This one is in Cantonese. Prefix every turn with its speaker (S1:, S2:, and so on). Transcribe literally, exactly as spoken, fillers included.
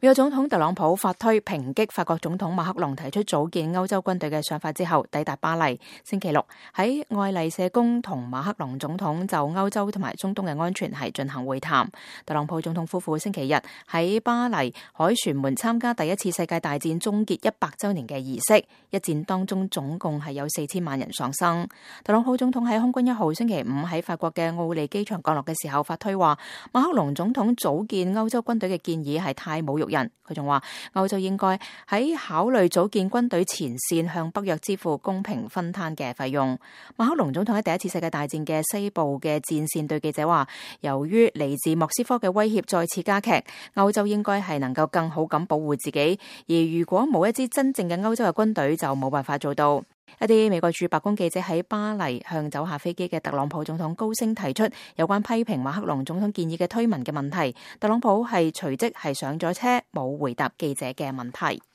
S1: 美國總統特朗普發推抨擊法國總統馬克龍提出組建歐洲軍隊嘅想法之後，抵達巴黎。星期六喺愛麗舍宮同馬克龍總統就歐洲同埋中東嘅安全係進行會談。特朗普總統夫婦星期日喺巴黎凱旋門參加第一次世界大戰終結一百週年嘅儀式，一戰當中總共係有四千萬人喪生。特朗普總統喺空軍一號星期五喺法國嘅奧利機場降落嘅時候發推話，馬克龍總統組建歐洲軍隊嘅建議係太侮辱人。佢仲話歐洲應該喺考慮組建軍隊前線向北約支付公平分攤嘅費用。馬克龍總統喺第一次世界大戰嘅西部嘅戰線對記者話，由於嚟自莫斯科嘅威脅再次加劇，歐洲應該係能夠更好咁保護自己，而如果冇一支真正嘅歐洲嘅軍隊就冇辦法做到。一啲美國駐白宮記者喺巴黎向走下飛機嘅特朗普總統高聲提出有關批評馬克龍總統建議嘅推文嘅問題，特朗普係隨即係上咗車，冇回答記者嘅問題。